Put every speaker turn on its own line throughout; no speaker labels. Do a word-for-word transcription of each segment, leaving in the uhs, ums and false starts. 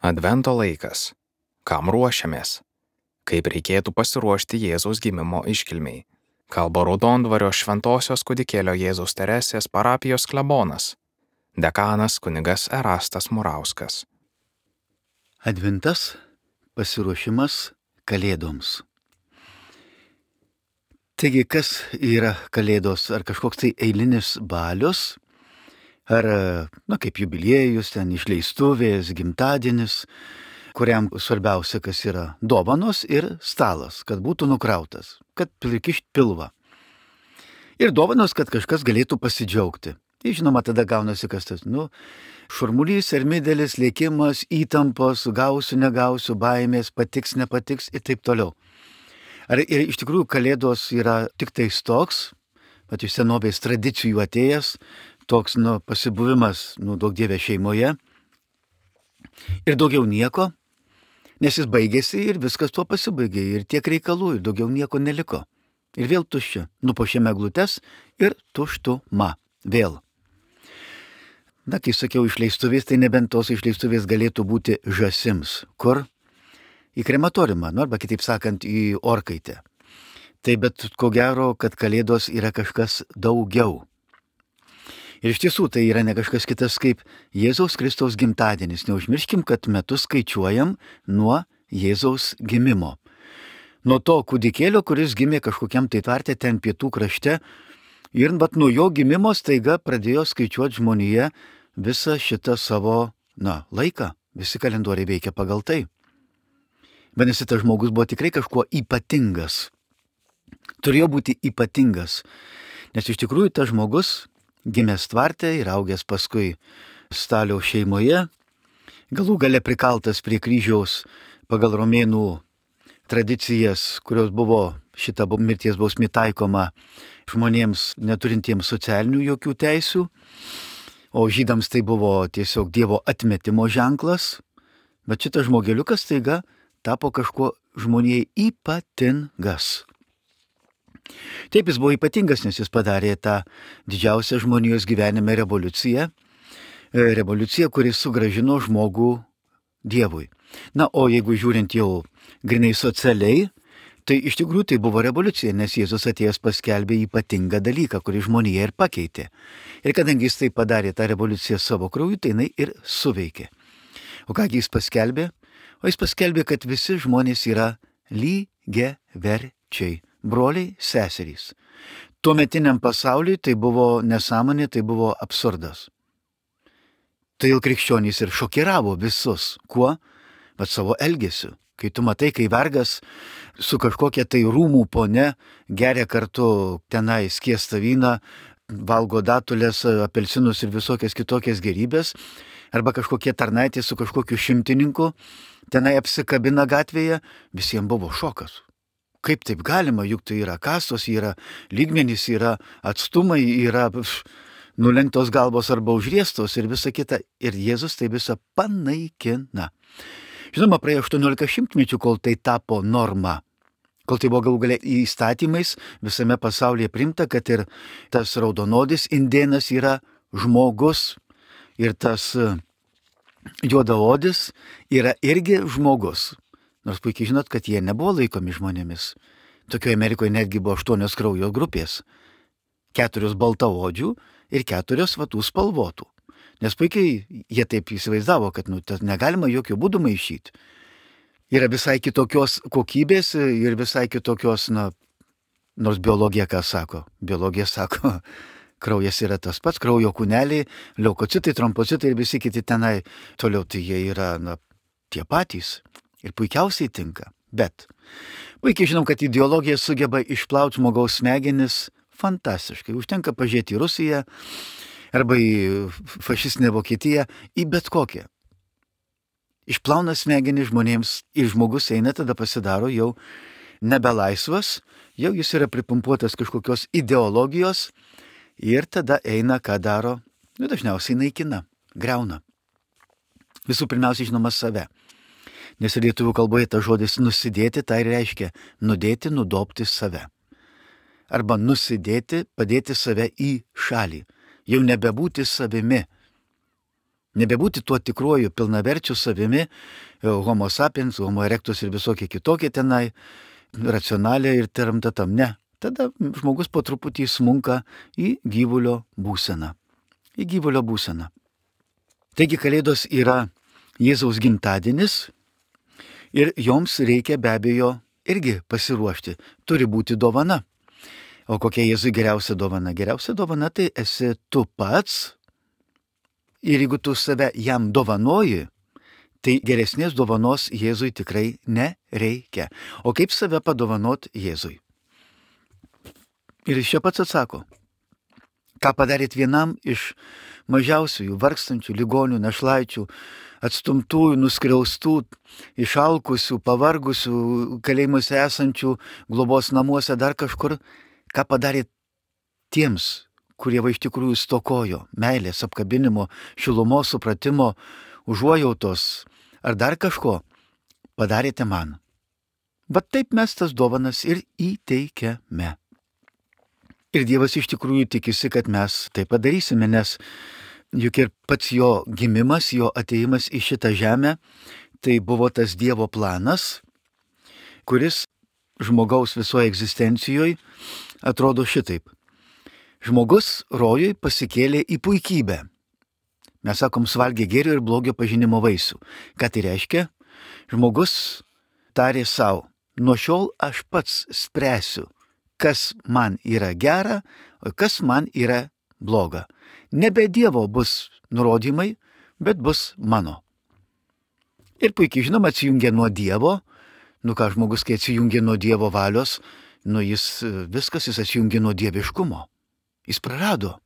Advento laikas. Kam ruošiamės? Kaip reikėtų pasiruošti Jėzaus gimimo iškilmei? Kalba Raudondvario Šventosios kūdikėlio Jėzaus Teresės parapijos klebonas, dekanas kunigas Erastas Murauskas.
Adventas – pasiruošimas Kalėdoms. Taigi, kas yra Kalėdos? Ar kažkoks tai eilinis balius? Ar, na, kaip jubiliejus, ten išleistuvės, gimtadienis, kuriam svarbiausia, kas yra dovanos ir stalas, kad būtų nukrautas, kad prikišt pilvą. Ir dovanos, kad kažkas galėtų pasidžiaugti. Tai žinoma, tada gaunasi kas tas, nu, šurmulys, ermidelis, lėkimas, įtampos, gausiu, negausiu, baimės, patiks, nepatiks ir taip toliau. Ar ir iš tikrųjų Kalėdos yra tik tais toks, bet iš senovės tradicijų atėjęs, toks, nu, pasibuvimas, nu, daug dievė šeimoje ir daugiau nieko, nes jis baigėsi ir viskas tuo pasibaigė ir tiek reikalų ir daugiau nieko neliko. Ir vėl tuščia, nupuošėme eglutes ir tuštuma vėl. Na, kai sakiau išleistuvės, tai nebent tos išleistuvės galėtų būti žąsims, kur į krematoriumą, nu, arba kitaip sakant, į orkaitę. Tai bet ko gero, kad Kalėdos yra kažkas daugiau. Ir iš tiesų tai yra ne kažkas kitas kaip Jėzaus Kristaus gimtadienis. Neužmirškim, kad metus skaičiuojam nuo Jėzaus gimimo. Nuo to kūdikėlio, kuris gimė kažkokiam tai tvarte ten pietų krašte. Ir bet nuo jo gimimo staiga pradėjo skaičiuoti žmonėje visą šitą savo, na, laiką. Visi kalendoriai veikia pagal tai. Vadinasi, tas žmogus buvo tikrai kažkuo ypatingas. Turėjo būti ypatingas. Nes iš tikrųjų tas žmogus gimęs tvarte ir augęs paskui Staliaus šeimoje, galų gale prikaltas prie kryžiaus pagal romėnų tradicijas, kurios buvo šita mirties bausmė taikoma žmonėms neturintiems socialinių jokių teisių, o žydams tai buvo tiesiog Dievo atmetimo ženklas, bet šitas žmogeliukas staiga tapo kažkuo žmonijai ypatingas. Taip, jis buvo ypatingas, nes jis padarė tą didžiausią žmonijos gyvenime revoliuciją, revoliuciją, kuris sugrąžino žmogų Dievui. Na, o jeigu žiūrint jau grinai socialiai, tai iš tikrųjų tai buvo revoliucija, nes Jėzus atėjęs paskelbė ypatingą dalyką, kurį žmonija ir pakeitė. Ir kadangi jis tai padarė tą revoliuciją savo krauju, tai jinai ir suveikė. O kągi jis paskelbė? O jis paskelbė, kad visi žmonės yra lygiaverčiai. Broliai, seserys. Tuometiniam pasauliui tai buvo nesąmonė, tai buvo absurdas. Todėl krikščionys ir šokiravo visus. Kuo? Bet savo elgesiu. Kai tu matai, kai vergas su kažkokia tai rūmų pone geria kartu tenai skiestą vyną, valgo datulės, apelsinus ir visokias kitokias gerybės, arba kažkokie tarnaitė su kažkokiu šimtininku tenai apsikabina gatvėje, visiems buvo šokas. Kaip taip galima, juk tai yra kastos, yra lygmenys, yra atstumai, yra pf, nulenktos galvos arba užriestos ir visa kita. Ir Jėzus tai visą panaikina. Žinoma, praėjo aštuoniolika šimtmečių, kol tai tapo norma. Kol tai buvo galų galia įstatymais visame pasaulyje priimta, kad ir tas raudonodis indėnas yra žmogus ir tas juodaodis yra irgi žmogus. Nors puikiai žinot, kad jie nebuvo laikomi žmonėmis. Tokioje Amerikoje netgi buvo aštuonios kraujo grupės. Keturios baltaodžių ir keturios vatų spalvotų. Nes puikiai jie taip įsivaizdavo, kad nu, negalima jokių būdų maišyti. Yra visai kitokios kokybės ir visai kitokios, na, nors biologija ką sako? Biologija sako, kraujas yra tas pats, kraujo kūneliai, leukocitai, trombocitai ir visi kiti tenai. Toliau tai jie yra, na, tie patys. Ir puikiausiai tinka. Bet puikiai žinom, kad ideologija sugeba išplauti žmogaus smegenis fantastiškai. Užtenka pažiūrėti į Rusiją arba į fašistinę Vokietiją, į bet kokią. Išplauna smegenis žmonėms ir žmogus eina, tada pasidaro jau nebelaisvas, jau jis yra pripumpuotas kažkokios ideologijos ir tada eina, ką daro, nu, dažniausiai naikina, greuna. Visų pirmiausia, žinoma, save. Nes lietuvių kalboje tas žodis nusidėti, tai reiškia nudėti, nudobti save. Arba nusidėti, padėti save į šalį. Jau nebebūti savimi. Nebebūti tuo tikruoju pilnaverčiu savimi, homo sapiens, homo erectus ir visokie kitokie tenai, racionaliai ir teramtatam. Ne. Tada žmogus po truputį smunka į gyvulio būseną. Į gyvulio būseną. Taigi Kalėdos yra Jėzaus gimtadienis ir joms reikia be abejo irgi pasiruošti. Turi būti dovana. O kokia Jėzui geriausia dovana? Geriausia dovana tai esi tu pats. Ir jeigu tu save jam dovanoji, tai geresnės dovanos Jėzui tikrai nereikia. O kaip save padovanot Jėzui? Ir iš čia pats atsako. Ką padarėt vienam iš mažiausiųjų, vargstančių, ligonių, našlaičių, atstumtųjų, nuskriaustų, išalkusių, pavargusių, kalėjimuose esančių, globos namuose, dar kažkur, ką padarėt tiems, kurie va iš tikrųjų stokojo meilės, apkabinimo, šilumos, supratimo, užuojautos ar dar kažko, padarėte man. Bet taip mes tas dovanas ir įteikiame. Ir Dievas iš tikrųjų tikisi, kad mes tai padarysime, nes juk ir pats jo gimimas, jo ateimas į šitą žemę, tai buvo tas Dievo planas, kuris žmogaus visoje egzistencijoje atrodo šitaip. Žmogus rojui pasikėlė į puikybę. Mes sakom, suvalgė gėrio ir blogio pažinimo vaisių. Ką tai reiškia? Žmogus tarė savo, nuo šiol aš pats spręsiu, kas man yra gera, o kas man yra bloga. Nebe Dievo bus nurodymai, bet bus mano. Ir puikiai žinoma, atsijungia nuo Dievo. Nu ką, žmogus, kai atsijungia nuo Dievo valios, nu jis viskas, jis atsijungia nuo dieviškumo. Jis prarado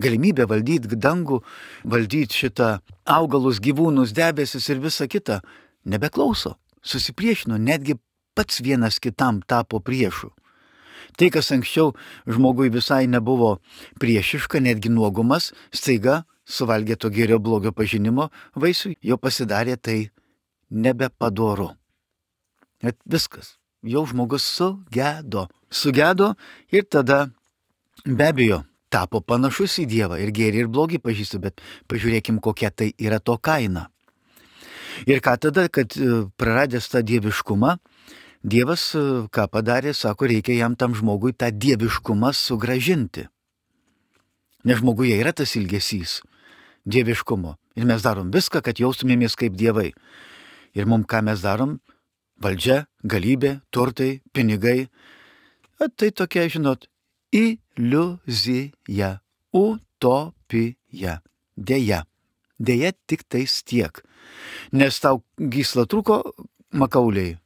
galimybę valdyti dangų, valdyti šitą augalus, gyvūnus, debesis ir visą kitą. Nebeklauso, susipriešino, netgi pats vienas kitam tapo priešu. Tai, kas anksčiau žmogui visai nebuvo priešiška, netgi nuogumas, staiga suvalgė to gėrio blogio pažinimo vaisių, jo pasidarė tai nebepadoru. Net viskas, jau žmogus sugedo. Sugedo ir tada be abejo tapo panašus į Dievą ir gėrį ir blogį pažįsta, bet pažiūrėkim, kokia tai yra to kaina. Ir ką tada, kad praradęs tą dieviškumą, Dievas ką padarė, sako, reikia jam tam žmogui tą dieviškumą sugrąžinti. Nes žmoguje yra tas ilgesys dieviškumo. Ir mes darom viską, kad jaustumėmės kaip dievai. Ir mums ką mes darom? Valdžia, galybė, turtai, pinigai. A, tai tokia, žinot, iliuzija, utopija. Deja. Deja tik tais tiek. Nes tau gysla trūko makauliai.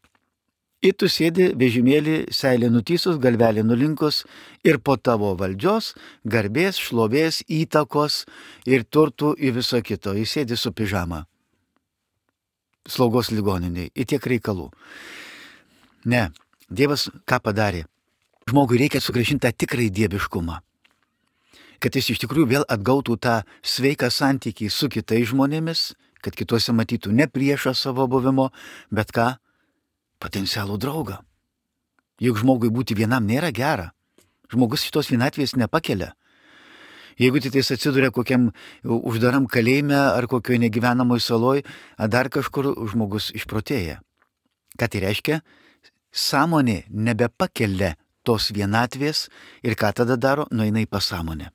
Ir tu sėdi vežimėlį, seilė nutysus, galvelė nulinkus ir po tavo valdžios, garbės, šlovės, įtakos ir turtų į viso kito. Jis sėdi su pižama. Slaugos ligoniniai. Ir tiek reikalų. Ne. Dievas ką padarė? Žmogui reikia sugrąžinti tą tikrai dieviškumą. Kad jis iš tikrųjų vėl atgautų tą sveiką santykį su kitais žmonėmis, kad kituose matytų ne priešą savo buvimo, bet ką? Potencialų draugą. Juk žmogui būti vienam nėra gera. Žmogus šitos vienatvės nepakelia. Jeigu tik jis atsiduria kokiam uždaram kalėjime ar kokioje negyvenamoj saloj, ar dar kažkur žmogus išprotėja. Ką tai reiškia? Sąmonė nebepakelia tos vienatvės ir ką tada daro? Nueina į pasąmonę.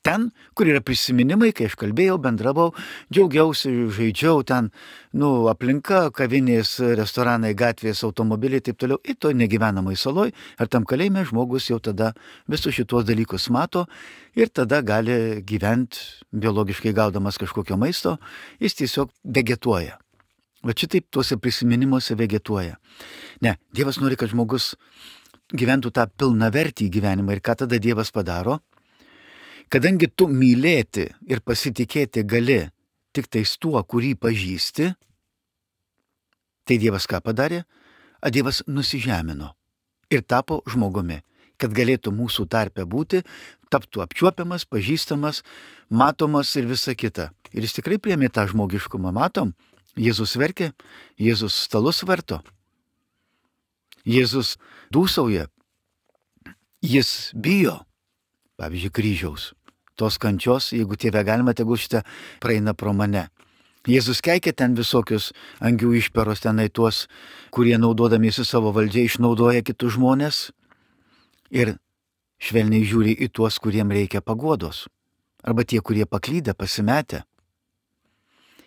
Ten, kur yra prisiminimai, kai aš kalbėjau, bendravau, džiaugiausi, žaidžiau ten, nu, aplinka, kavinės, restoranai, gatvės, automobiliai, taip toliau, ir to negyvenamai saloj, ar tam kalėjime žmogus jau tada visus šitos dalykus mato ir tada gali gyventi biologiškai gaudamas kažkokio maisto, jis tiesiog vegetuoja. Va šitaip tuose prisiminimuose vegetuoja. Ne, Dievas nori, kad žmogus gyventų tą pilnavertį gyvenimą ir ką tada Dievas padaro? Kadangi tu mylėti ir pasitikėti gali tik tais tuo, kurį pažįsti, tai Dievas ką padarė? A Dievas nusižemino ir tapo žmogumi, kad galėtų mūsų tarpe būti, taptų apčiuopiamas, pažįstamas, matomas ir visa kita. Ir jis tikrai priėmė tą žmogiškumą, matom, Jėzus verkė, Jėzus stalus varto, Jėzus dūsauja, jis bijo, pavyzdžiui, kryžiaus. tos kančios, jeigu Tėve galima, tegul šitą praeina pro mane. Jėzus keikė ten visokius angių išperos, tenai tuos, kurie naudodamiesi savo valdžią išnaudoja kitus žmonės ir švelniai žiūri į tuos, kuriem reikia paguodos. Arba tie, kurie paklydę, pasimetę.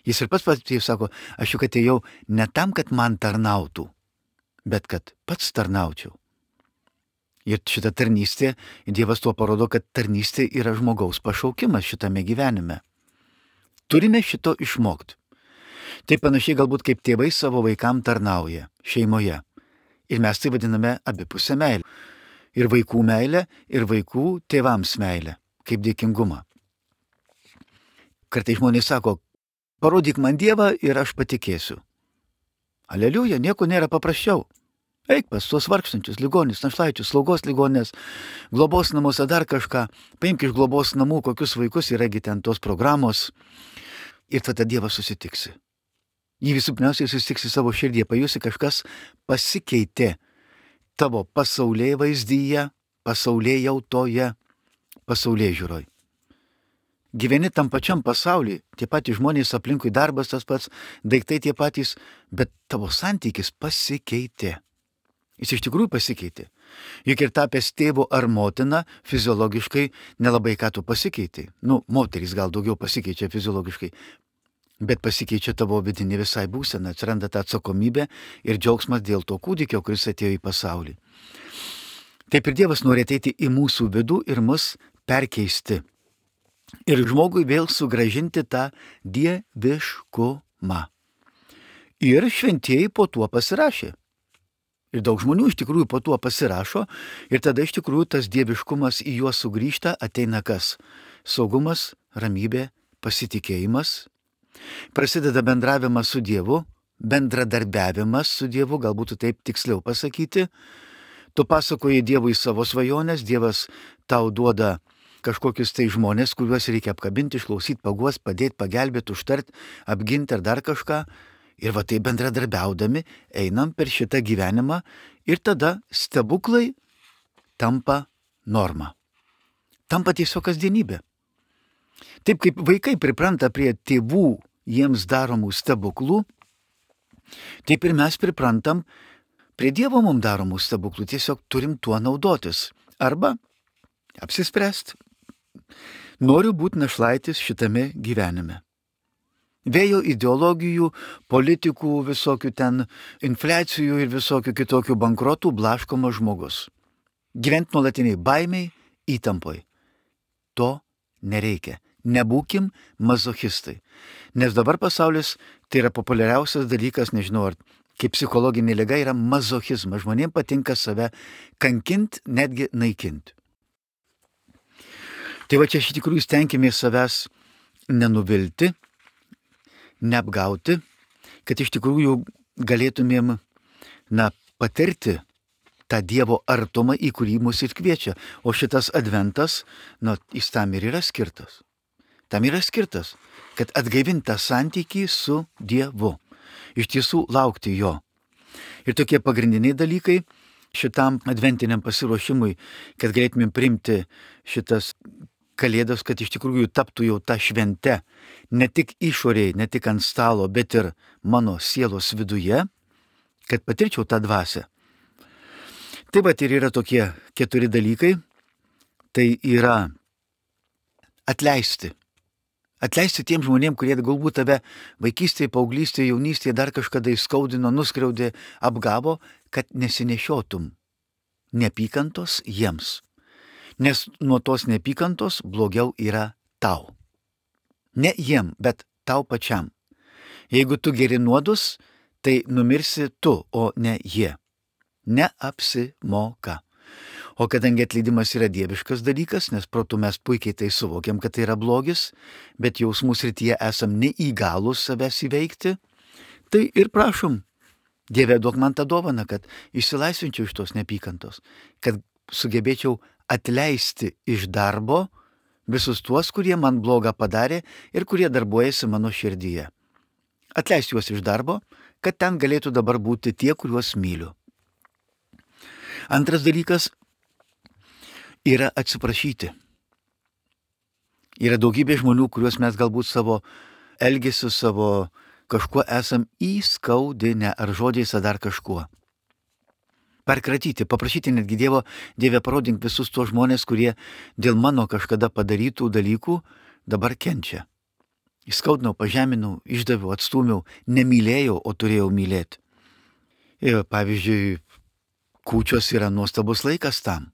Jis ir pats pats sako, aš juk atėjau ne tam, kad man tarnautų, bet kad pats tarnaučiau. Ir šita tarnystė, Dievas tuo parodo, kad tarnystė yra žmogaus pašaukimas šitame gyvenime. Turime šito išmokti. Tai panašiai galbūt kaip tėvai savo vaikam tarnauja šeimoje. Ir mes tai vadiname abipusę meilę. Ir vaikų meilę, ir vaikų tėvams meilę, kaip dėkingumą. Kartais žmonės sako, parodyk man Dievą ir aš patikėsiu. Aleliuja, nieko nėra paprasčiau. Eik pas tuos vargstančius, ligonis, našlaičius, slaugos ligonės, globos namuose dar kažką, paimk iš globos namų, kokius vaikus yragi ten tos programos ir tada Dievas susitiksi. Jį visų pirmiausiai susitiksi savo širdyje, pajusi kažkas pasikeitė tavo pasaulyje vaizdyje, pasaulyje jautoje, pasaulyje žiūroj. Gyveni tam pačiam pasaulyje, tie patys žmonės aplinkui, darbas tas pats, daiktai tie patys, bet tavo santykis pasikeitė. Jis iš tikrųjų pasikeitė. Juk ir tapęs tėvu ar motina, fiziologiškai nelabai ką tu pasikeitė. Nu, moterys gal daugiau pasikeičia fiziologiškai, bet pasikeičia tavo vidinė visai būsena, atsiranda ta atsakomybė ir džiaugsmas dėl to kūdikio, kuris atėjo į pasaulį. Taip ir Dievas nori ateiti į mūsų vidų ir mus perkeisti. Ir žmogui vėl sugrąžinti tą dieviškumą. Ir šventieji po tuo pasirašė. Ir daug žmonių iš tikrųjų po tuo pasirašo ir tada iš tikrųjų tas dieviškumas į juos sugrįžta, ateina kas? Saugumas, ramybė, pasitikėjimas. Prasideda bendravimas su Dievu, bendradarbiavimas su Dievu, galbūt taip tiksliau pasakyti. Tu pasakoji Dievui savo svajonės, Dievas tau duoda kažkokius tai žmonės, kuriuos reikia apkabinti, išklausyti, paguos, padėti, pagelbėti, užtarti, apginti ar dar kažką. Ir va tai bendradarbiaudami einam per šitą gyvenimą ir tada stebuklai tampa norma. Tampa tiesiog kasdienybė. Taip kaip vaikai pripranta prie tėvų jiems daromų stebuklų, taip ir mes priprantam prie Dievo mums daromų stebuklų. Tiesiog turim tuo naudotis. Arba apsispręsti. Noriu būti našlaitis šitame gyvenime. Vėjo ideologijų, politikų, visokių ten infliacijų ir visokių kitokių bankrotų blaškomas žmogus. Gyventi nuolatiniai baimiai, įtampoj. To nereikia. Nebūkim mazochistai. Nes dabar pasaulis tai yra populiariausias dalykas, nežinau, ar kaip psichologinė liga yra mazochizmas. Žmonėms patinka save kankinti, netgi naikinti. Tai va čia iš tikrųjų stenkimės savęs nenuvilti, neapgauti, kad iš tikrųjų galėtumėm, na, patirti tą Dievo artumą, į kurį mus ir kviečia. O šitas adventas, na, jis tam ir yra skirtas. Tam yra skirtas, kad atgaivintą santykį su Dievu. Iš tiesų laukti jo. Ir tokie pagrindiniai dalykai šitam adventiniam pasiruošimui, kad galėtumėm priimti šitas Kalėdos, kad iš tikrųjų taptų jau ta švente, ne tik išorėje, ne tik ant stalo, bet ir mano sielos viduje, kad patirčiau tą dvasią. Taip pat ir yra tokie keturi dalykai. Tai yra atleisti. Atleisti tiem žmonėm, kurie galbūt tave vaikystėje, paauglystėje, jaunystėje dar kažkada įskaudino, nuskriaudė, apgavo, kad nesinešiotum neapykantos jiems. Nes nuo tos neapykantos blogiau yra tau. Ne jiem, bet tau pačiam. Jeigu tu geri nuodus, tai numirsi tu, o ne jie. Neapsimoka. O kadangi atleidimas yra dieviškas dalykas, nes protu mes puikiai tai suvokiam, kad tai yra blogis, bet jausmų srityje esam neįgalūs savęs įveikti, tai ir prašom, Dieve, duok man tą dovaną, kad išsilaisvinčiau iš tos neapykantos, kad sugebėčiau atleisti iš darbo visus tuos, kurie man blogą padarė ir kurie darbuojasi mano širdyje. Atleisti juos iš darbo, kad ten galėtų dabar būti tie, kuriuos myliu. Antras dalykas yra atsiprašyti. Yra daugybė žmonių, kuriuos mes galbūt savo elgesiu, savo kažkuo esam įskaudinę, ar žodžiais, ar dar kažkuo. Perkratyti, paprašyti netgi Dievo, Dieve parodink visus tuos žmonės, kurie dėl mano kažkada padarytų dalykų dabar kenčia. Įskaudinau, pažeminau, išdaviau, atstūmiau, nemylėjau, o turėjau mylėti. Ir pavyzdžiui, kūčios yra nuostabus laikas tam.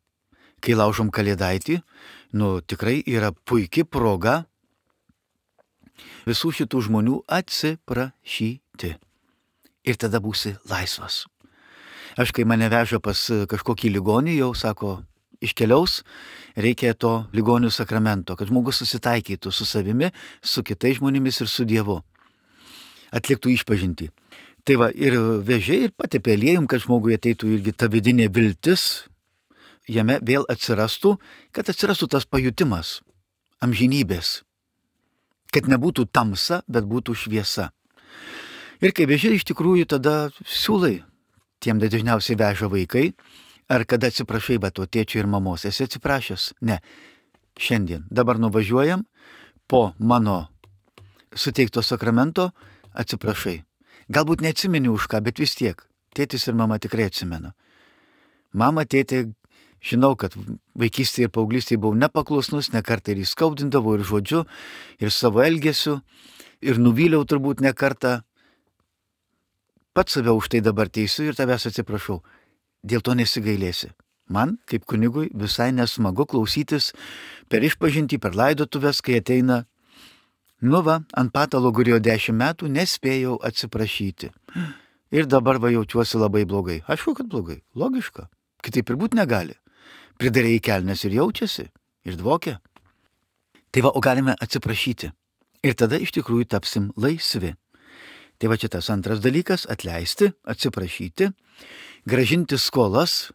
Kai laužom kalėdaitį, nu tikrai yra puikia proga visų šitų žmonių atsiprašyti. Ir tada būsi laisvas. Aš kai mane veža pas kažkokį ligonį, jau sako, iškeliaus, reikia to ligonių sakramento, kad žmogus susitaikytų su savimi, su kitais žmonėmis ir su Dievu. Atliktų išpažintį. Tai va, ir vežė ir patepė aliejum, kad žmogui ateitų irgi ta vidinė viltis, jame vėl atsirastų, kad atsirastų tas pajutimas amžinybės. Kad nebūtų tamsa, bet būtų šviesa. Ir kai vežė, iš tikrųjų tada siūlai, tiem dažniausiai veža vaikai, ar kada atsiprašai, bet to tėčio ir mamos, esi atsiprašęs? Ne. Šiandien. Dabar nuvažiuojam, po mano suteikto sakramento atsiprašai. Galbūt neatsimeni už ką, bet vis tiek. Tėtis ir mama tikrai atsimena. Mama, tėtė, žinau, kad vaikystėje ir paauglystėje buvau nepaklusnus, ne kartą ir įskaudindavau ir žodžiu, ir savo elgesiu, ir nuvyliau turbūt ne kartą. Pats save už tai dabar teisiu ir tavęs atsiprašau. Dėl to nesigailėsi. Man, kaip kunigui, visai nesmagu klausytis per išpažintį, per laidotuvės, kai ateina, nu va, ant patalo gulėjo dešimt metų, nespėjau atsiprašyti. Ir dabar va jaučiuosi labai blogai. Aišku, kad blogai. Logiška. Kitaip ir būt negali. Pridarė į kelnes ir jaučiasi. Ir dvokia. Tai va, o galime atsiprašyti. Ir tada iš tikrųjų tapsim laisvi. Tai va čia tas antras dalykas - atleisti, atsiprašyti, gražinti skolas,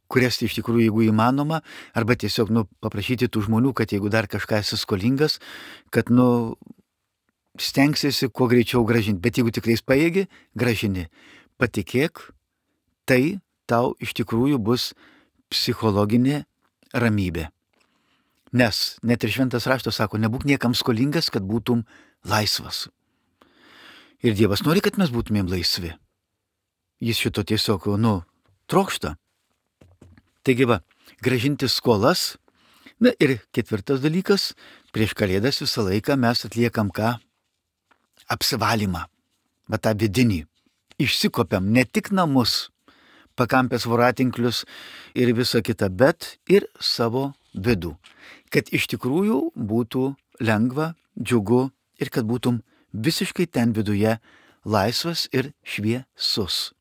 kurias iš tikrųjų, jeigu įmanoma, arba tiesiog, nu, paprašyti tų žmonių, kad jeigu dar kažką esi skolingas, kad, nu, stengsiesi kuo greičiau gražinti. Bet jeigu tikrai pajėgi, gražini. Patikėk, tai tau iš tikrųjų bus psichologinė ramybė. Nes net ir šventas raštas sako, nebūk niekam skolingas, kad būtum laisvas. Ir Dievas nori, kad mes būtumėm laisvi. Jis šito tiesiog, nu, trokšta. Taigi va, gražinti skolas. Na ir ketvirtas dalykas, prieš Kalėdas visą laiką mes atliekam ką? Apsivalymą. Va tą vidinį. Išsikopiam ne tik namus, pakampės voratinklius ir visą kitą, bet ir savo vidų. Kad iš tikrųjų būtų lengva, džiugu ir kad būtum visiškai ten viduje laisvas ir šviesus.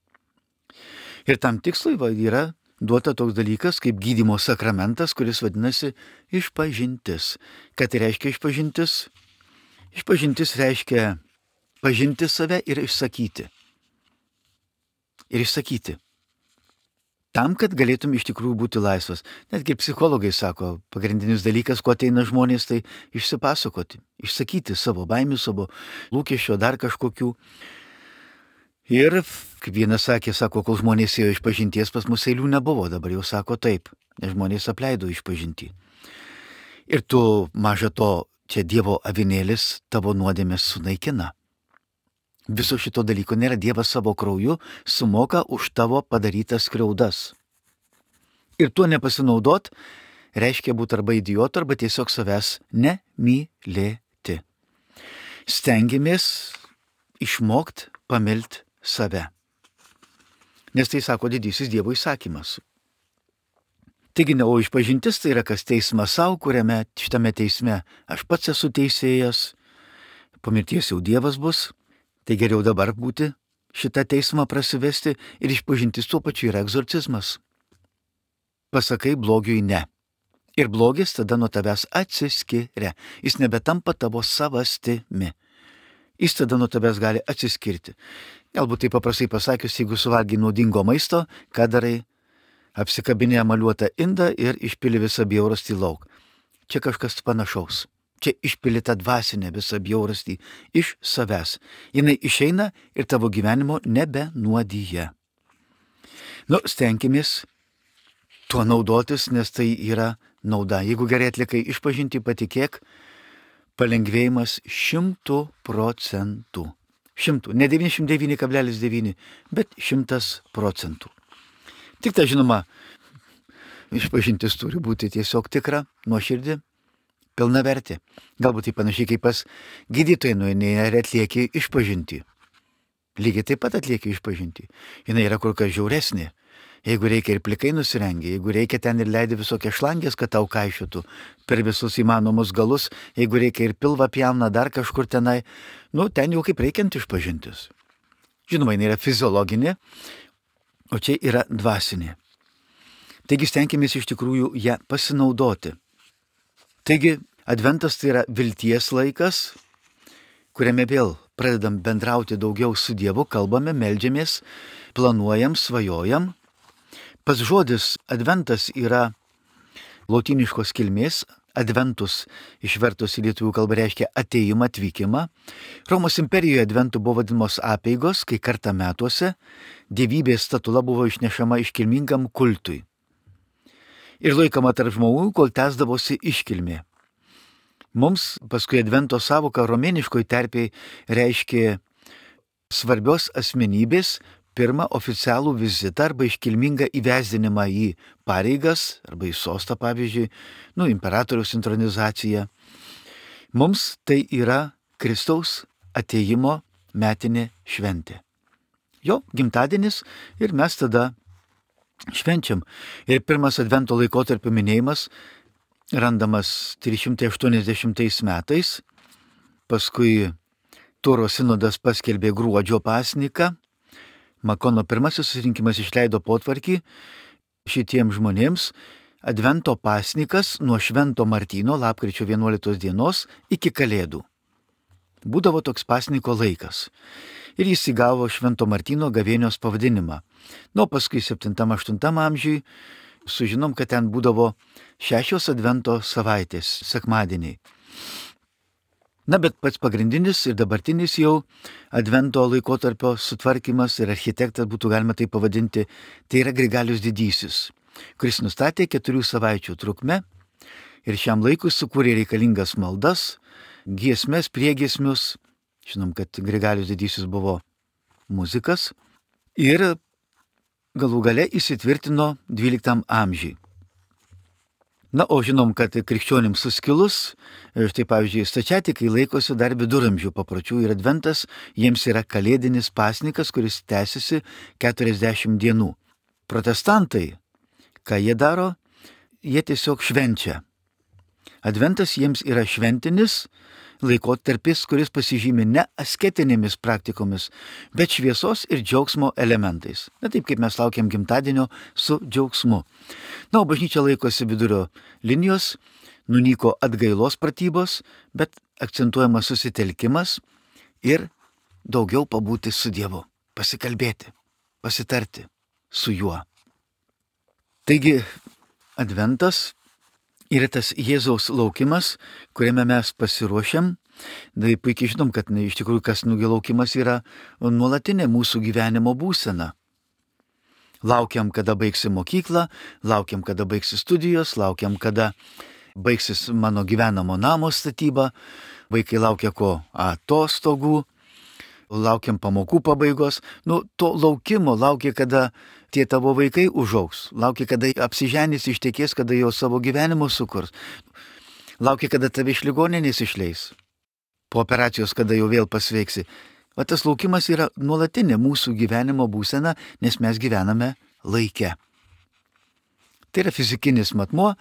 Ir tam tikslui va, yra duota toks dalykas kaip gydymo sakramentas, kuris vadinasi išpažintis. Ką tai reiškia išpažintis? Išpažintis reiškia pažinti save ir išsakyti. Ir išsakyti. Tam, kad galėtum iš tikrųjų būti laisvas. Netgi psichologai sako, pagrindinis dalykas, ko ateina žmonės, tai išsipasakoti, išsakyti savo baimių, savo lūkesčio, dar kažkokių. Ir, kaip vienas sakė, sako, kol žmonės ėjo išpažinties, pas mus eilių nebuvo, dabar jau sako taip, nes žmonės apleido išpažintį. Ir tu, maža to, čia Dievo avinėlis tavo nuodėmės sunaikina. Viso šito dalyko nėra, Dievas savo krauju sumoka už tavo padarytas skriaudas. Ir tuo nepasinaudot reiškia būti arba idiotu, arba tiesiog savęs nemylėti. Stengiamės išmokt pamilt save. Nes tai sako didysis Dievo įsakymas. Taigi, ne, o išpažintis tai yra kas teismas savo, kuriame šitame teisme aš pats esu teisėjas, po mirties jau Dievas bus. Tai geriau dabar būti, šitą teismą prasivesti ir išpažintis tuo pačiu yra egzorcizmas. Pasakai blogiui ne. Ir blogis tada nuo tavęs atsiskiria. Jis nebetampa tavo savastimi. Jis tada nuo tavęs gali atsiskirti. Galbūt tai paprastai pasakius, jeigu suvalgy naudingo maisto, ką darai? Apsikabinė emaliuotą indą ir išpili visą bjaurastį lauk. Čia kažkas panašaus. Čia išpili tą dvasinę visą bjaurastį iš savęs. Jinai išeina ir tavo gyvenimo nebenuodyja. Nu, stenkimės tuo naudotis, nes tai yra nauda. Jeigu gerai atlikai išpažinti, patikėk, palengvėjimas šimtų procentų. Šimtų, ne devyniasdešimt devyni kablelis devyni, bet šimtas procentų. Tik tai žinoma, išpažintis turi būti tiesiog tikra, nuoširdį, pilna vertė. Galbūt tai panašiai kaip pas gydytojai nueini ir atlieki išpažinti. Lygiai taip pat atlieki išpažinti. Jis yra kur kas žiauresnė. Jeigu reikia ir plikai nusirengia, jeigu reikia ten ir leidi visokias šlangės, kad tau kaišytų per visus įmanomus galus, jeigu reikia ir pilvą pjauna dar kažkur tenai, nu ten jau kaip reikiant išpažintis. Žinoma, jinai yra fiziologinė, o čia yra dvasinė. Taigi stenkimės iš tikrųjų ją pasinaudoti. Taigi adventas tai yra vilties laikas, kuriame vėl pradedam bendrauti daugiau su Dievu, kalbame, meldžiamės, planuojam, svajojam. Pats žodis adventas yra lotyniškos kilmės, adventus išvertus į lietuvių kalbą reiškia atėjimą, atvykimą. Romos imperijoje adventų buvo vadinamos apeigos, kai kartą metuose dievybės statula buvo išnešama iškilmingam kultui. Ir laikoma tarp žmonių, kol tęsdavosi iškilmė. Mums paskui advento savoka romėniškoj terpėj reiškia svarbios asmenybės pirmą oficialų vizitą arba iškilmingą įvesdinimą į pareigas arba į sostą, pavyzdžiui, nu, imperatoriaus intronizaciją. Mums tai yra Kristaus atėjimo metinė šventė. Jo gimtadienis ir mes tada švenčiam. Ir pirmas advento laikotarpio minėjimas randamas trys šimtai aštuoniasdešimtais metais, paskui Turo sinodas paskelbė gruodžio pasniką, Makono pirmasis susirinkimas išleido potvarkį šitiems žmonėms, advento pasnikas nuo Švento Martyno lapkričio vienuoliktos dienos iki Kalėdų. Būdavo toks pasniko laikas ir jis įgavo Švento Martyno gavėnios pavadinimą. Nu, paskui septintam aštuntam amžiui sužinom, kad ten būdavo šešios advento savaitės, sekmadieniai. Na, bet pats pagrindinis ir dabartinis jau advento laikotarpio sutvarkymas ir architektas, būtų galima tai pavadinti, tai yra Grigalius Didysis, kuris nustatė keturių savaičių trukmę ir šiam laikui sukūrė reikalingas maldas, giesmes, priegiesmius. Žinom, kad Grigalius Didysis buvo muzikas ir galų gale įsitvirtino dvyliktam amžiui. Na, o žinom, kad krikščionims suskilus, štai pavyzdžiui, stačiatikai laikosi dar viduramžių papročių ir adventas jiems yra kalėdinis pasnikas, kuris tęsiasi keturiasdešimt dienų. Protestantai, ką jie daro, jie tiesiog švenčia. Adventas jiems yra šventinis laikotarpis, kuris pasižymi ne asketinėmis praktikomis, bet šviesos ir džiaugsmo elementais. Na taip, kaip mes laukiam gimtadienio su džiaugsmu. Na, o bažnyčia laikosi vidurio linijos, nunyko atgailos pratybos, bet akcentuojamas susitelkimas ir daugiau pabūti su Dievu, pasikalbėti, pasitarti su juo. Taigi, adventas yra tas Jėzaus laukimas, kuriame mes pasiruošiam. Tai puikiai žinom, kad ne, iš tikrųjų kasnugio laukimas yra nuolatinė mūsų gyvenimo būsena. Laukiam, kada baigsi mokyklą, laukiam, kada baigsi studijos, laukiam, kada baigsis mano gyvenamo namo statyba, vaikai laukia ko atostogų, laukiam pamokų pabaigos. Nu, to laukimo laukia, kada tie tavo vaikai užaugs, laukia, kada apsiženys, ištekės, kada jau savo gyvenimo sukurs, laukia, kada tave iš ligoninės išleis, po operacijos, kada jau vėl pasveiksi. O tas laukimas yra nuolatinė mūsų gyvenimo būsena, nes mes gyvename laike. Tai yra fizikinis matmuo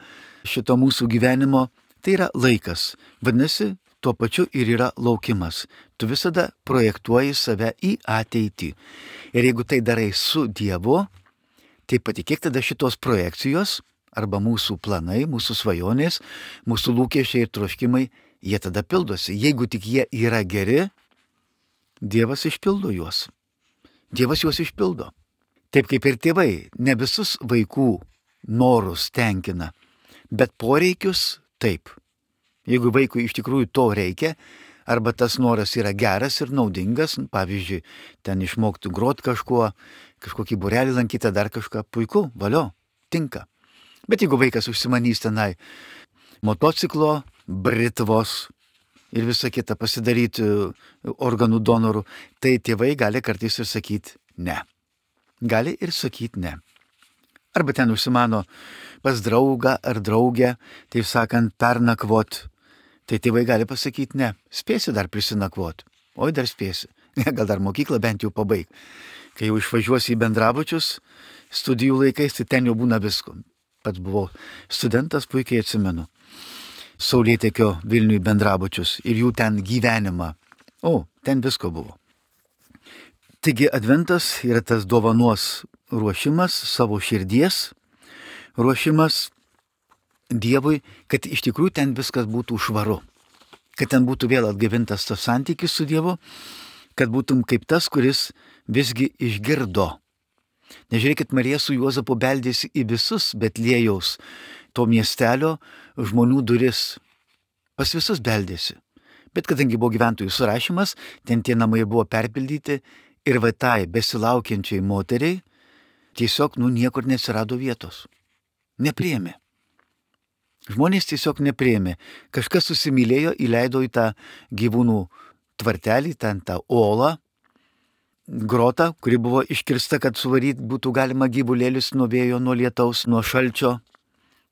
šito mūsų gyvenimo, tai yra laikas. Vadinasi, tuo pačiu ir yra laukimas. Tu visada projektuoji save į ateitį. Ir jeigu tai darai su Dievu, tai patikėk, tada šitos projekcijos arba mūsų planai, mūsų svajonės, mūsų lūkesčiai ir troškimai, jie tada pildosi. Jeigu tik jie yra geri, Dievas išpildo juos. Dievas juos išpildo. Taip kaip ir tėvai, ne visus vaikų norus tenkina, bet poreikius taip. Jeigu vaikui iš tikrųjų to reikia, arba tas noras yra geras ir naudingas, pavyzdžiui, ten išmokti grot kažkuo, kažkokį būrelį lankyti, dar kažką, puiku, valio, tinka. Bet jeigu vaikas užsimanys tenai motociklo, britvos, ir visą kitą pasidaryti organų donorų, tai tėvai gali kartais ir sakyti ne. Gali ir sakyti ne. Arba ten užsimano pas draugą ar draugę, taip sakant, pernakvot. Tai tėvai gali pasakyti ne. Spėsi dar prisinakvot. Oi, dar spėsi. Gal dar mokyklą bent jau pabaig. Kai jau išvažiuosi į bendrabučius, studijų laikais, tai ten jau būna visko. Pats buvau studentas, puikiai atsimenu. Saulėtekio Vilniui bendrabučius ir jų ten gyvenimą. O, ten visko buvo. Taigi adventas yra tas dovanos ruošimas, savo širdies ruošimas Dievui, kad iš tikrųjų ten viskas būtų švaru. Kad ten būtų vėl atgavintas tas santykis su Dievu, kad būtum kaip tas, kuris visgi išgirdo. Nežiūrėkit, Marija su Juozapu beldėsi į visus Betliejaus to miestelio žmonių duris. Pas visus beldėsi. Bet kadangi buvo gyventojų surašymas, ten tie namai buvo perpildyti ir va tai besilaukiančiai moteriai tiesiog, nu, niekur neatsirado vietos. Nepriėmė. Žmonės tiesiog nepriėmė. Kažkas susimylėjo, įleido į tą gyvūnų tvartelį, ten tą olą, grotą, kuri buvo iškirsta, kad suvaryti būtų galima gyvulėlius nuo vėjo, nuo lietaus, nuo šalčio,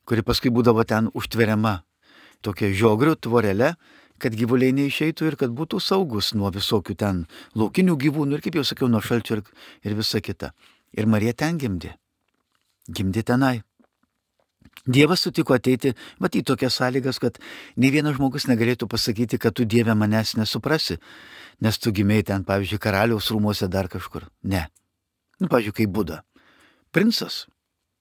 kuri paskui būdavo ten užtveriama tokia žiogrių tvorelė, kad gyvuliai neišeitų ir kad būtų saugus nuo visokių ten laukinių gyvūnų ir, kaip jau sakiau, nuo šalčio ir, ir visa kita. Ir Marija ten gimdė. Gimdė tenai. Dievas sutiko ateiti, mat į tokias sąlygas, kad nei vienas žmogus negalėtų pasakyti, kad tu, Dieve, manęs nesuprasi, nes tu gimėjai ten, pavyzdžiui, karaliaus rūmuose dar kažkur. Ne. Nu, pavyzdžiui, kaip Buda. Princas.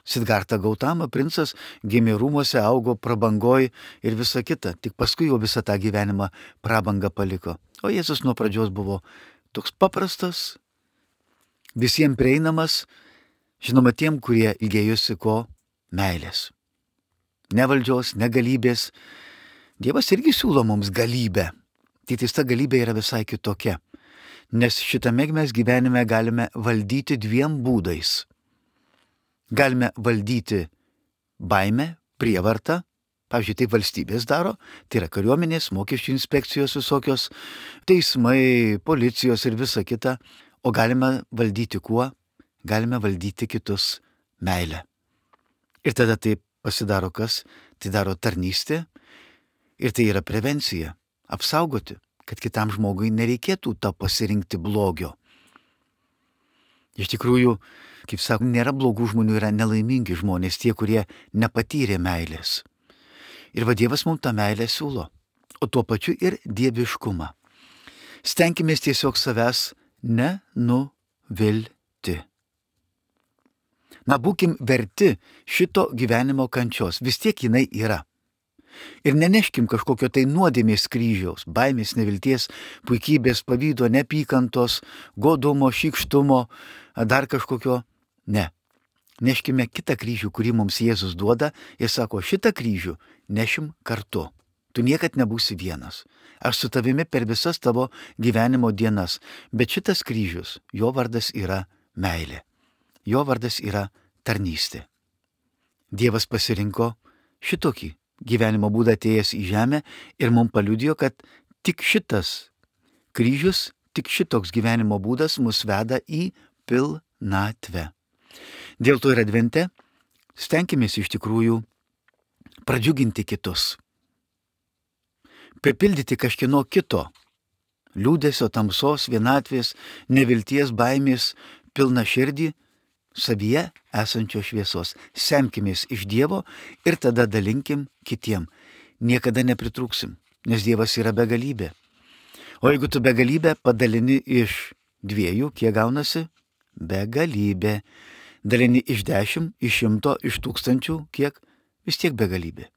Sidgarta Gautama, princas, gimė rūmuose, augo prabangoj ir visa kita. Tik paskui jau visą tą gyvenimą prabangą paliko. O Jėzus nuo pradžios buvo toks paprastas, visiems prieinamas, žinoma tiem, kurie ilgėjosi ko? Meilės. Ne valdžios, ne galybės. Dievas irgi siūlo mums galybę. Tai ta galybė yra visai kitokia. Nes šitame mes gyvenime galime valdyti dviem būdais. Galime valdyti baimę, prievartą. Pavyzdžiui, taip valstybės daro. Tai yra kariuomenės, mokesčių inspekcijos visokios, teismai, policijos ir visa kita. O galime valdyti kuo? Galime valdyti kitus meilę. Ir tada taip pasidaro kas? Tai daro tarnystė ir tai yra prevencija. Apsaugoti, kad kitam žmogui nereikėtų to pasirinkti blogio. Iš tikrųjų, kaip sako, nėra blogų žmonių, yra nelaimingi žmonės, tie, kurie nepatyrė meilės. Ir va Dievas mums tą meilę siūlo, o tuo pačiu ir dieviškumą. Stenkimės tiesiog savęs nenuvilti. Na, būkim verti šito gyvenimo kančios, vis tiek jinai yra. Ir neneškim kažkokio tai nuodėmės kryžiaus, baimės, nevilties, puikybės, pavydo, nepykantos, godumo, šykštumo, dar kažkokio. Ne. Neškime kitą kryžių, kurį mums Jėzus duoda ir sako, šitą kryžių nešim kartu. Tu niekad nebūsi vienas. Aš su tavimi per visas tavo gyvenimo dienas. Bet šitas kryžius, jo vardas yra meilė. Jo vardas yra tarnystė. Dievas pasirinko šitokį gyvenimo būdą atėjęs į žemę ir mums paliudijo, kad tik šitas kryžius, tik šitoks gyvenimo būdas mus veda į pilnatvę. Dėl to ir advente stenkimės iš tikrųjų pradžiuginti kitus. Pripildyti kažkieno kito liūdesio, tamsos, vienatvės, nevilties, baimės, pilna širdį, savyje esančio šviesos. Semkimės iš Dievo ir tada dalinkim kitiem. Niekada nepritrūksim, nes Dievas yra begalybė. O jeigu tu begalybę padalini iš dviejų, kiek gaunasi? Begalybė. Dalini iš dešimt, iš šimto, iš tūkstančių, kiek? Vis tiek begalybė.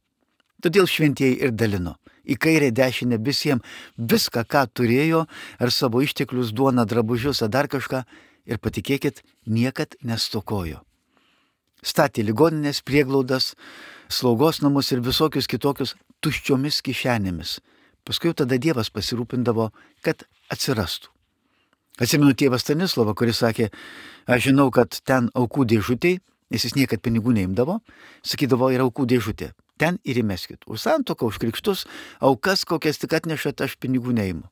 Todėl šventieji ir dalino. Į kairę dešinę visiems viską, ką turėjo, ar savo išteklius, duoną, drabužius, ar dar kažką. Ir patikėkit, niekad nestokojo. Statė ligoninės, prieglaudas, slaugos namus ir visokius kitokius tuščiomis kišenėmis. Paskui tada Dievas pasirūpindavo, kad atsirastų. Atsimenu tėvą Stanislovą, kuris sakė, aš žinau, kad ten aukų dėžutėj, nes jis niekad pinigų neimdavo, sakydavo, yra aukų dėžutė. ten ir įmeskit. Už santuoką, už krikštus, aukas, kokias tik atnešat, aš pinigų neimu.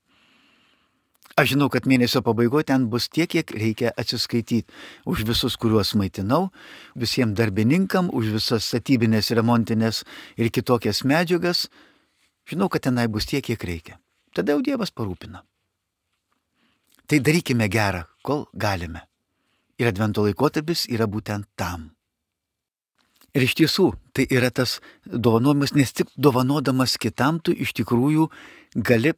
Aš žinau, kad mėnesio pabaigoje ten bus tiek, kiek reikia atsiskaityti už visus, kuriuos maitinau, visiems darbininkam, už visas statybinės, remontinės ir kitokias medžiagas. Žinau, kad tenai bus tiek, kiek reikia. Tada jau Dievas parūpina. Tai darykime gerą, kol galime. Ir advento laikotarpis yra būtent tam. Ir iš tiesų, tai yra tas dovanojimas, nes tik dovanodamas kitam tu iš tikrųjų gali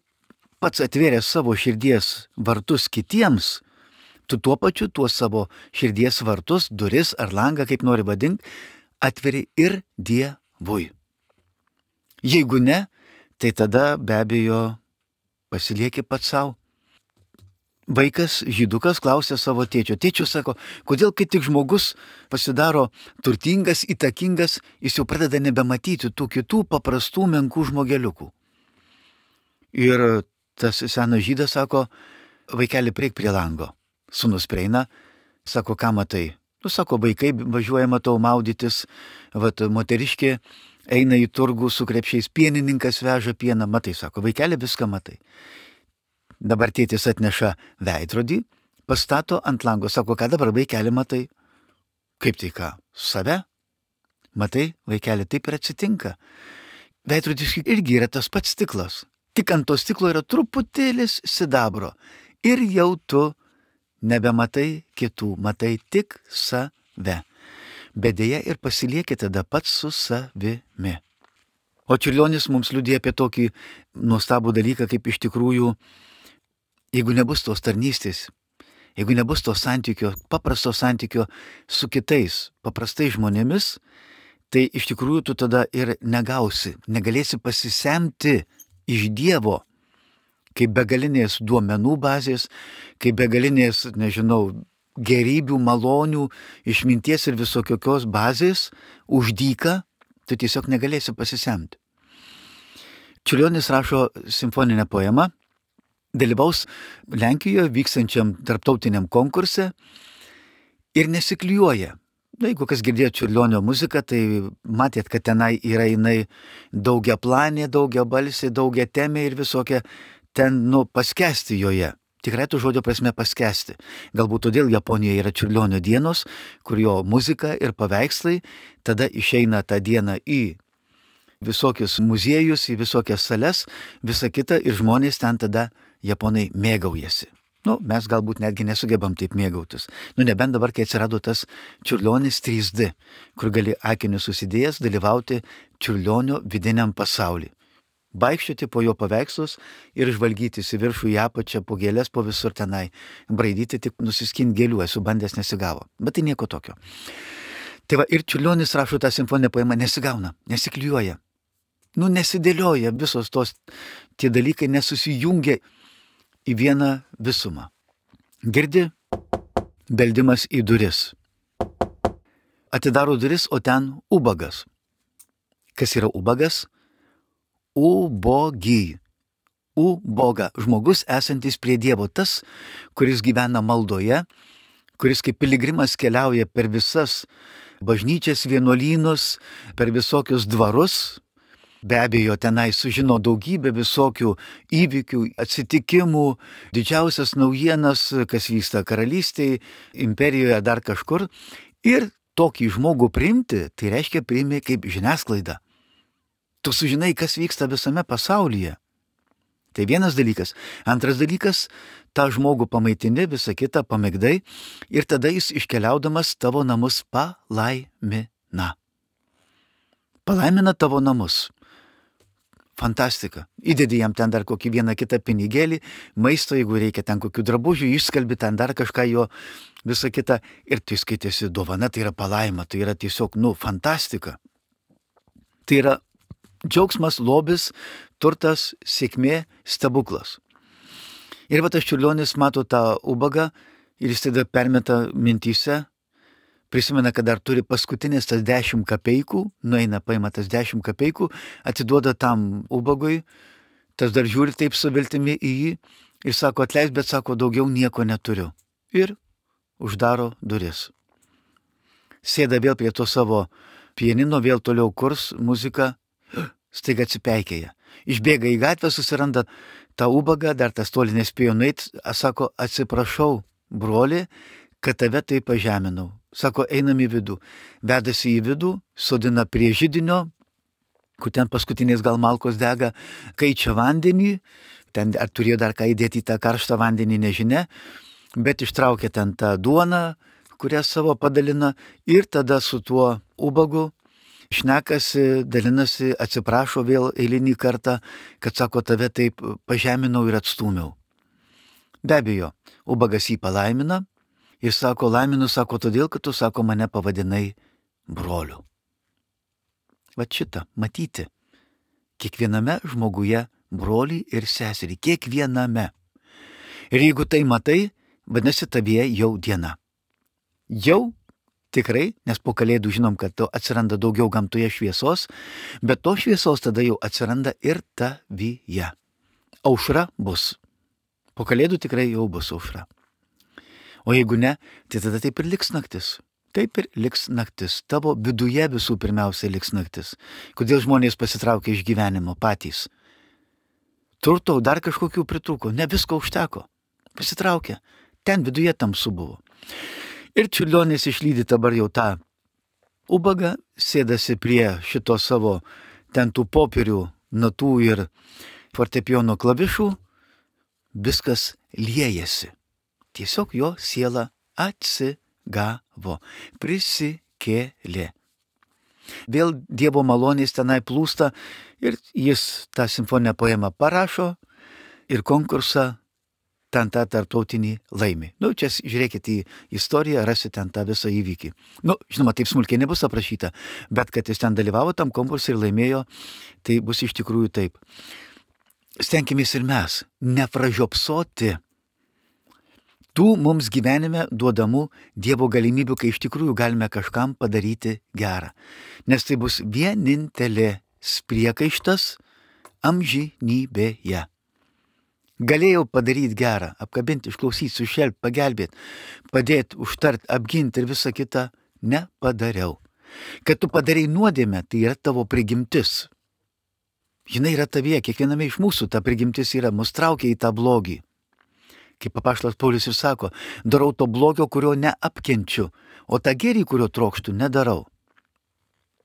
pats atvėręs savo širdies vartus kitiems, tu tuo pačiu tuos savo širdies vartus, duris ar langą, kaip nori vadinti, atveri ir Dievui. Jeigu ne, tai tada be abejo pasilieki pats savo. Vaikas, žydukas, klausė savo tėčio. Tėčiu sako, kodėl kai tik žmogus pasidaro turtingas, įtakingas, jis jau pradeda nebematyti tų kitų paprastų menkų žmogeliukų. Ir tas senas žydas sako, vaikeli, prieik prie lango. Sūnus prieina, sako, ką matai? Nu, sako, vaikai važiuoja, matau, maudytis, vat, moteriškė eina į turgų su krepšiais, pienininkas veža pieną, matai, sako, vaikeli, viską matai. Dabar tėtis atneša veidrodį, pastato ant lango, sako, ką dabar vaikeli matai? Kaip tai ką? Save? Matai, vaikeli, taip ir atsitinka. Veidrodis irgi yra tas pats stiklas. Tik ant to stiklo yra truputėlis sidabro. Ir jau tu nebematai kitų, matai tik save. Bet dėja ir pasilieki tada pats su savimi. O Čiurlionis mums liudija apie tokį nuostabų dalyką, kaip iš tikrųjų, jeigu nebus tos tarnystės, jeigu nebus to santykio, paprasto santykio su kitais, paprastais žmonėmis, tai iš tikrųjų tu tada ir negausi, negalėsi pasisemti iš Dievo, kaip begalinės duomenų bazės, kaip begalinės, nežinau, gerybių, malonių, išminties ir visokios bazės už dyką, tu tiesiog negalėsi pasisemti. Čiurlionis rašo simfoninę poemą, dalyvaus Lenkijoje vykstančiam tarptautiniam konkurse ir nesiklijuoja. Na, jeigu kas girdėjo Čiurlionio muziką, tai matėt, kad tenai yra jinai daugiaplanė, daugiabalsė, daugiatemė ir visokia ten, nu, paskesti joje. Tikrai tų žodžio prasme paskesti. Galbūt todėl Japonijoje yra Čiurlionio dienos, kur jo muzika ir paveikslai tada išeina tą dieną į visokius muziejus, į visokias sales, visa kita ir žmonės ten tada japonai mėgaujasi. Nu, mes galbūt netgi nesugebam taip mėgautis. Nu, nebent dabar, kai atsirado tas Čiurlionis trys D, kur gali akinius susidėjęs dalyvauti Čiurlionio vidiniam pasauliui. Vaikščioti po jo paveikslus ir žvalgytis į viršų, į apačią, po gėlės, po visur tenai. Braidyti tik nusiskinti gėlių, esu bandęs, nesigavo. Bet tai nieko tokio. Tai va, ir Čiurlionis rašo tą simfoninę poemą, nesigauna, nesiklijuoja. Nu, nesidėlioja visos tos, tie dalykai nesusijungia į vieną visumą. Girdi beldimas į duris. Atidaro duris, o ten ubagas. Kas yra ubagas? Ubogy. Uboga. Žmogus esantis prie Dievo. Tas, kuris gyvena maldoje, kuris kaip piligrimas keliauja per visas bažnyčias, vienuolynus, per visokius dvarus. Be abejo, tenai sužino daugybę visokių įvykių, atsitikimų, didžiausias naujienas, kas vyksta karalystėje, imperijoje, dar kažkur. Ir tokį žmogų priimti, tai reiškia priimi kaip žiniasklaida. Tu sužinai, kas vyksta visame pasaulyje. Tai vienas dalykas. Antras dalykas, tą žmogų pamaitini, visą kitą pamėgdai ir tada jis iškeliaudamas tavo namus palaimina. Palaimina tavo namus. Fantastika. Įdedi jam ten dar kokį vieną kitą pinigėlį, maisto, jeigu reikia ten kokių drabužių, išskalbi ten dar kažką jo, visą kitą. Ir tai skaitėsi dovana, tai yra palaima, tai yra tiesiog, nu, fantastika. Tai yra džiaugsmas, lobis, turtas, sėkmė, stebuklas. Ir va tas Čiurlionis mato tą ubagą ir jis tada permeta mintyse, prisimena, kad dar turi paskutinės tas dešimt kapeikų, nueina, paima tas dešimt kapeikų, atiduoda tam ubagui, tas dar žiūri taip su viltimi į jį ir sako, atleis, bet sako, daugiau nieko neturiu. Ir uždaro duris. Sėda vėl prie to savo pianino vėl toliau kurs muziką, staiga atsipeikėja. Išbėga į gatvę, susiranda tą ubagą, dar tas toli nespėjo nueit, sako, atsiprašau, broli, kad tave tai pažeminau. Sako, einam į vidų. Vedasi į vidų, sodina prie židinio, kur ten paskutiniais gal malkos dega, kaičia vandenį, ten ar turėjo dar ką įdėti į tą karštą vandenį, nežinia, bet ištraukė ten tą duoną, kurią savo padalina ir tada su tuo ubagu šnekasi, dalinasi, atsiprašo vėl eilinį kartą, kad sako, tave taip pažeminau ir atstūmiau. Be abejo, ubagas jį palaimina ir sako, laiminu, sako, todėl, kad tu, sako, mane pavadinai broliu. Vat šitą matyti kiekviename žmoguje brolį ir seserį, kiekviename. Ir jeigu tai matai, vadinasi, tavyje jau diena. Jau tikrai, nes po kalėdų žinom, kad atsiranda daugiau gamtoje šviesos, bet to šviesos tada jau atsiranda ir tavyje. Aušra bus. Po kalėdų tikrai jau bus aušra. O jeigu ne, tai tada taip ir liks naktis. Taip ir liks naktis. Tavo viduje visų pirmiausia liks naktis. Kodėl žmonės pasitraukia iš gyvenimo patys? Turto dar kažkokių pritrūko, ne visko užteko. Pasitraukė. Ten viduje tamsu buvo. Ir Čiurlionis išlydi dabar jau tą ubagą, sėdasi prie šito savo ten tų popierių, natų ir fortepijono klavišų, viskas liejasi. Tiesiog jo siela atsigavo, prisikėlė. Vėl Dievo malonės tenai plūsta ir jis tą simfoninę poemą parašo ir konkursą ten tą tarptautinį laimi. Nu, čia žiūrėkit į istoriją, rasite ten tą visą įvykį. Nu, žinoma, taip smulkiai nebus aprašyta, bet kad jis ten dalyvavo tam konkursui ir laimėjo, tai bus iš tikrųjų taip. Stenkimės ir mes nepražiopsoti tų mums gyvenime duodamų Dievo galimybių, kai iš tikrųjų galime kažkam padaryti gerą. Nes tai bus vienintelė priekaištas amžinybėje. Galėjau padaryti gerą, apkabinti, išklausyti, sušelpti, pagelbėti, padėti, užtart, apginti ir visą kitą nepadariau. Kad tu padarai nuodėmę, tai yra tavo prigimtis. Žinai, yra tavyje, kiekviename iš mūsų ta prigimtis yra, mus traukia į tą blogį. Kaip apaštalas Paulius ir sako, darau to blogio, kurio neapkenčiu, o tą gėrį, kurio trokštų, nedarau.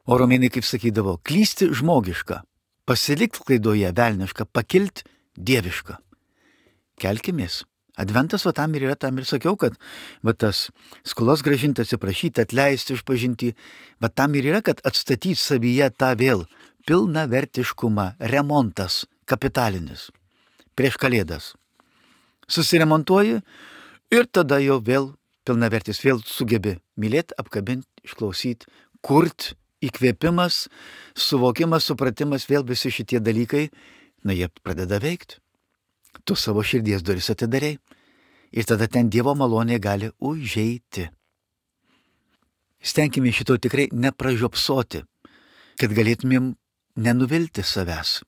O romėnai, kaip sakydavo, klysti žmogiška, pasilikti klaidoje velniška, pakilti dieviška. Kelkimės. Adventas va tam ir yra, tam ir sakiau, kad va tas skolos grąžinti, atsiprašyti, atleisti, išpažinti, va tam ir yra, kad atstatyti savyje tą vėl pilnavertiškumą, remontas kapitalinis prieš kalėdas. Susiremontuoji ir tada jau vėl pilnavertis, vėl sugebi mylėti, apkabinti, išklausyti, kurti, įkvėpimas, suvokimas, supratimas, vėl visi šitie dalykai, na jie pradeda veikti. Tu savo širdies duris atidarei ir tada ten Dievo malonė gali užeiti. Stenkime šito tikrai nepražiopsoti, kad galėtumėm nenuvilti savęs,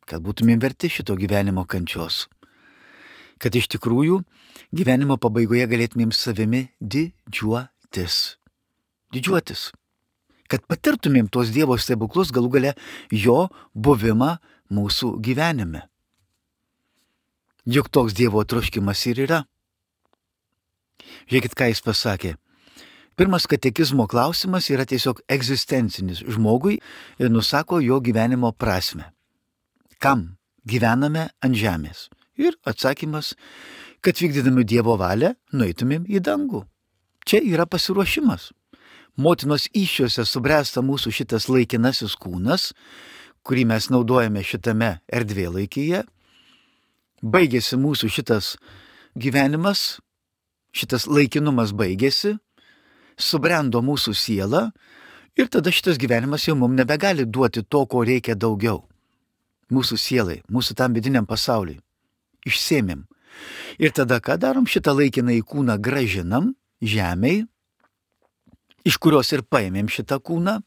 kad būtumėm verti šito gyvenimo kančios, kad iš tikrųjų gyvenimo pabaigoje galėtumėm savimi didžiuotis. Didžiuotis. Kad patirtumėm tos Dievo stebuklus, galų gale jo buvimą mūsų gyvenime. Juk toks Dievo troškimas ir yra. Žiūrėkit, ką jis pasakė. Pirmas katekizmo klausimas yra tiesiog egzistencinis žmogui ir nusako jo gyvenimo prasme. Kam gyvename ant žemės? Ir atsakymas, kad vykdydami Dievo valią nueitumėm į dangų. Čia yra pasiruošimas. Motinos įsčiose subręsta mūsų šitas laikinasis kūnas, kurį mes naudojame šitame erdvėlaikyje. Baigėsi mūsų šitas gyvenimas, šitas laikinumas baigėsi, subrendo mūsų siela ir tada šitas gyvenimas jau mums nebegali duoti to, ko reikia daugiau. Mūsų sielai, mūsų tam vidiniam pasauliui. Išsėmėm. Ir tada ką darom? Šitą laikinąjį kūną gražinam žemei, iš kurios ir paėmėm šitą kūną,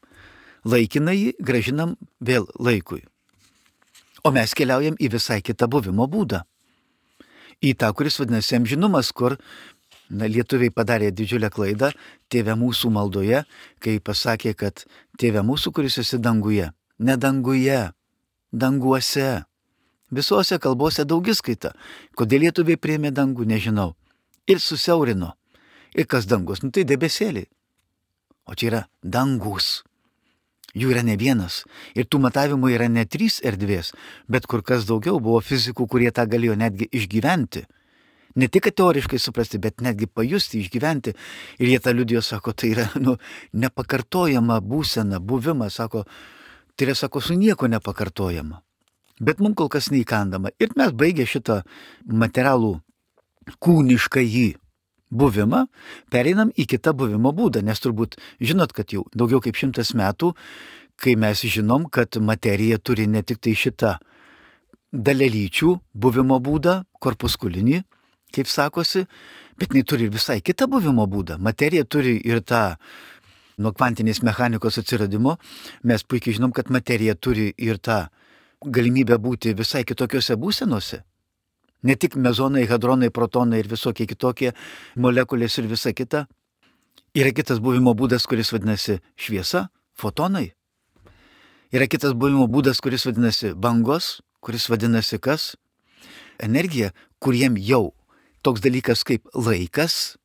laikinąjį gražinam vėl laikui. O mes keliaujam į visai kitą buvimo būdą. Į tą, kuris vadinasi amžinumas, kur Na, lietuviai padarė didžiulę klaidą Tėve mūsų maldoje, kai pasakė, kad Tėve mūsų, kuris esi danguje. Ne danguje, danguose. Visose kalbose daugiskaita. Kodėl lietuviai priėmė dangų, nežinau. Ir susiaurino. Ir kas dangus? Nu tai debesėliai. O čia yra dangus. Jų yra ne vienas. Ir tų matavimų yra ne trys erdvės, bet kur kas daugiau. Buvo fizikų, kurie tą galėjo netgi išgyventi. Ne tik teoriškai suprasti, bet netgi pajusti, išgyventi. Ir jie tą liudijo, sako, tai yra nu, nepakartojama būsena, buvimas, sako, tai yra, sako, su nieko nepakartojama. Bet mums kol kas neįkandama. Ir mes baigę šitą materialų kūnišką jį buvimą, pereinam į kitą buvimo būdą, nes turbūt žinot, kad jau daugiau kaip šimtas metų, kai mes žinom, kad materija turi ne tik tai šitą dalelyčių buvimo būdą, korpuskulinį, kaip sakosi, bet jinai turi ir visai kitą buvimo būdą. Materija turi ir tą, nuo kvantinės mechanikos atsiradimo, mes puikiai žinom, kad materija turi ir tą galimybę būti visai kitokiose būsenose. Ne tik mezonai, hadronai, protonai ir visokie kitokie molekulės ir visa kita. Yra kitas buvimo būdas, kuris vadinasi šviesa, fotonai. Yra kitas buvimo būdas, kuris vadinasi bangos, kuris vadinasi kas? Energija, kuriem jau toks dalykas kaip laikas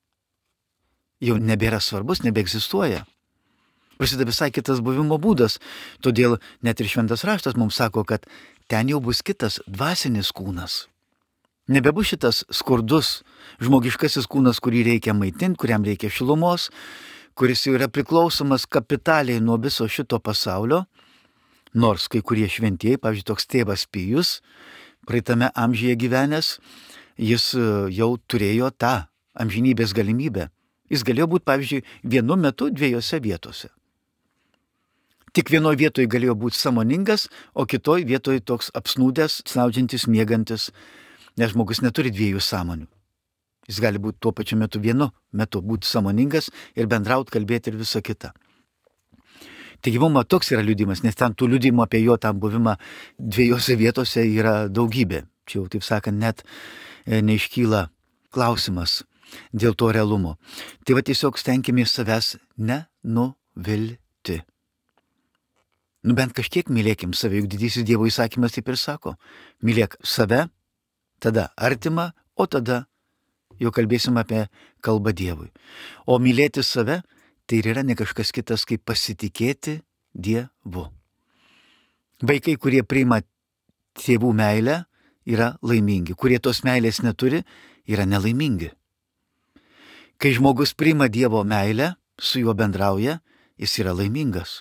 jau nebėra svarbus, nebeegzistuoja. Prasideda visai kitas buvimo būdas. Todėl net ir šventas raštas mums sako, kad ten jau bus kitas dvasinis kūnas. Nebebus šitas skurdus žmogiškasis kūnas, kurį reikia maitinti, kuriam reikia šilumos, kuris jau yra priklausomas kapitaliai nuo viso šito pasaulio. Nors kai kurie šventieji, pavyzdžiui, toks tėvas Pijus, praeitame amžiuje gyvenęs, jis jau turėjo tą amžinybės galimybę. Jis galėjo būti, pavyzdžiui, vienu metu dviejose vietose. Tik vienoje vietoje galėjo būti sąmoningas, o kitoje vietoje toks apsnūdęs, snaudžiantis, miegantis, nes žmogus neturi dviejų sąmonių. Jis gali būti tuo pačiu metu vienu metu būti sąmoningas ir bendrauti, kalbėti ir visa kita. Taigi mums toks yra liudimas, nes ten tų liudimų apie jo tą buvimą dviejose vietose yra daugybė. Čia jau, taip sakant, net neiškyla klausimas dėl to realumo. Tai va tiesiog stenkimės savęs nenuvilti. Nu bent kažkiek mylėkim save, juk didysis Dievo įsakymas taip ir sako. Mylėk save, tada artimą, o tada jau kalbėsim apie kalbą Dievui. O mylėti save tai yra ne kažkas kitas kaip pasitikėti Dievu. Vaikai, kurie priima tėvų meilę, yra laimingi. Kurie tos meilės neturi, yra nelaimingi. Kai žmogus priima Dievo meilę, su juo bendrauja, jis yra laimingas.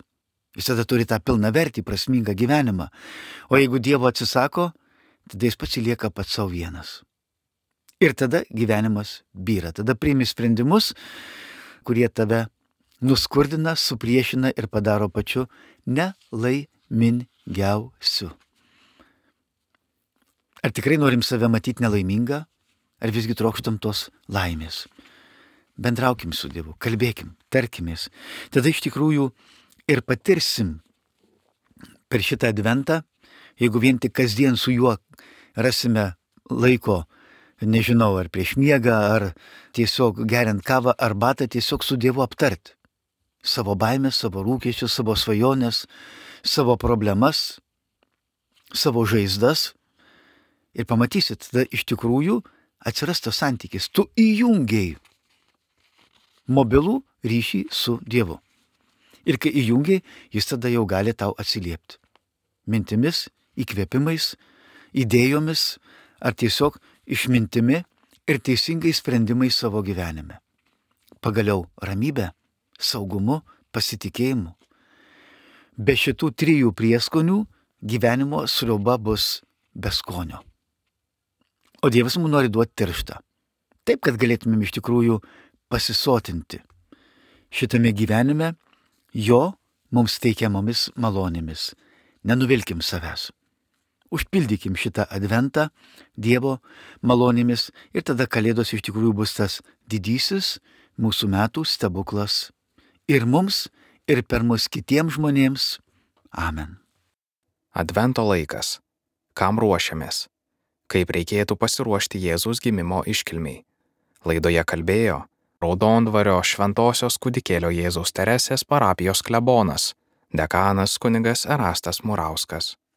Jis tada turi tą pilną vertį, prasmingą gyvenimą. O jeigu Dievo atsisako, tada jis pats lieka pats savo vienas. Ir tada gyvenimas byra. Tada priimi sprendimus, kurie tave nuskurdina, supriešina ir padaro pačiu nelaimingiausiu. Ar tikrai norim save matyti nelaimingą, ar visgi trokštam tos laimės? Bendraukim su Dievu, kalbėkim, tarkimės. Tada iš tikrųjų ir patirsim per šitą adventą, jeigu vien tik kasdien su juo rasime laiko, nežinau, ar prieš miegą, ar tiesiog geriant kavą, arbatą, tiesiog su Dievu aptarti. Savo baimės, savo rūkesčius, savo svajonės, savo problemas, savo žaizdas. Ir pamatysit, tada iš tikrųjų atsiras tas santykis. Tu įjungiai mobilų ryšį su Dievu. Ir kai įjungiai, jis tada jau gali tau atsiliepti. Mintimis, įkvėpimais, idėjomis, ar tiesiog išmintimi ir teisingais sprendimais savo gyvenime. Pagaliau ramybė, saugumu, pasitikėjimu. Be šitų trijų prieskonių gyvenimo sriuba bus be skonio. O Dievas mums nori duoti tirštą. Taip, kad galėtumėm iš tikrųjų pasisotinti šitame gyvenime jo mums teikiamomis malonėmis. Nenuvilkim savęs. Užpildykim šitą adventą Dievo malonėmis ir tada Kalėdos iš tikrųjų bus tas didysis mūsų metų stebuklas. Ir mums, ir per mus kitiems žmonėms. Amen.
Advento laikas. Kam ruošiamės? Kaip reikėtų pasiruošti Jėzaus gimimo iškilmiai? Laidoje kalbėjo Raudondvario Šventosios kūdikėlio Jėzaus Teresės parapijos klebonas, dekanas kunigas Erastas Murauskas.